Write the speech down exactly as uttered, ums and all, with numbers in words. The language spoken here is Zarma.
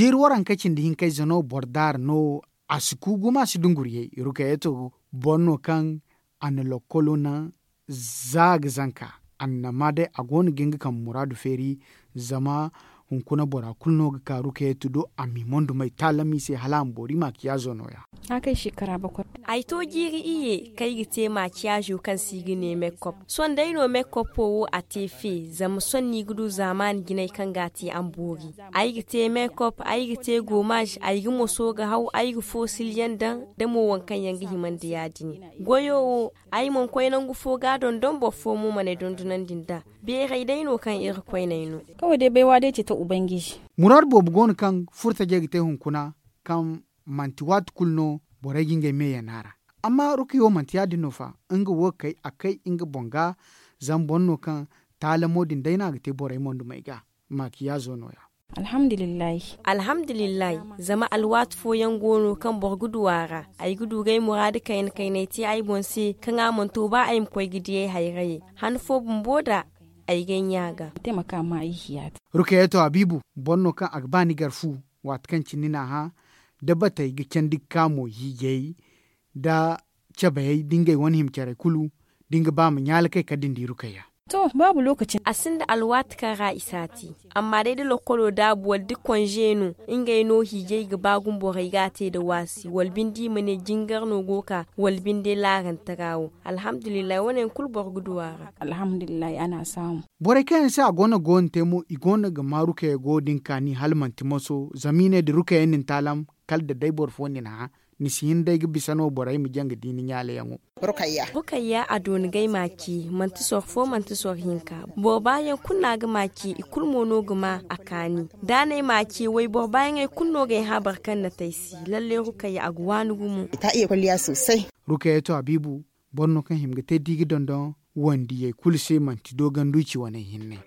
Iri waranka cindi hinkayze no boro daara no. A si ku gumo a si dunguriyay rukayeto boro no kaŋ a na lokkolo naŋ za a ga zanka. Annama day a go no ga nga kambe muraadu feeri. Zama hunkuna bora kulu no ga ka rukayeto do a m'i mondumay taalam i se hala a ma boori maakiyaazo nooya. Ay to jiiri iyye kaŋ ay ga te maakiyaazo kaŋ se i ga ne mekop. Sohõ day no mekoppo wo a te fe zama sohõ no i ga du zaamaani jinay kaŋ ga a te a ma boori. Ay ga te mekop, ay ga te gomaaž, ay ga moso ga haw, ay ga foosiliyaŋ daŋ, da mo waŋ kaŋ yaŋ ga hima nda ya- din. Goyo wo, ay mana koy nangu fo ga a dondon boro fo mo mana ay dondonandi nd'a. Beeray day no kaŋ iri koyney no. Kaway day baywa day ce ta ubangiji. Muraadu boobo go no kaŋ furtajey ga te hunkuna, kaŋ manti waati kulu no borey ga ngey me yana ra. Amma rukayo manti ya- din no fa. Nga wo kay a kay nga boŋ ga. Zama boro no kaŋ taalamo din day no a ga te borey mondumey ga. Maakiyaazo nooya. Alhamdulillahi. Zama alwaati fooyaŋ go no kaŋ boro ga du a ra. Ay ga du ga ay muraadu kayna kaynay te ay boŋ se kaŋ a mana to ba ay ma koy ga di ay hayrayey. Han fo bumbo da ay ga ay ɲaa ga. Rukayatu habiibu, boro no kaŋ a ga ba ni gar fu. Waati kaŋ cine ni n'a hã, da batey ga candi ga ka mo hiijay, da cabayey da ngey wane hima carey kulu, da ni ga ba ma ɲaalakay kala da ni di rukayya. To, baabu lookaci. A sinda alwaati kaŋ ra i si a te. Amma day da lokkolo daabu wala da konze no, ngey no hiijay ga ba gumo borey ga a te nda waasi wala binde i ma ne jingar no go ga ka, wala binde laarantara wo. Alhamdulillahi wane yaŋ kulu boro ga du a ra. Alhamdulillahi a n'a saamu. Borey kaŋ yaŋ se a go no ga wo- din te mo i go no ga ma rukayya go din kaani hala manti moso zama i ne da rukayya na ni taalam, kala da day boro fo na ni hã, ni si hin day ga bisa no borey ma jaŋ ga di ni ɲaalayaŋo. Rukayya a dooni ga ay ma ce, manti soro fo manti soro hinka. Boro baayaŋ kulu no a ga ma ce i kulu mo no ga ma a kaani. Da a na ay ma ce wayboro baayaŋey kulu no ga ay hã boro kaŋ na te ay se. Lalle rukayya a ga waani gumo. Rukayya to habiibu, boro no kaŋ hima ga te da i ga dondon wandiyey kulu se manti doogandu i ci waney hinne.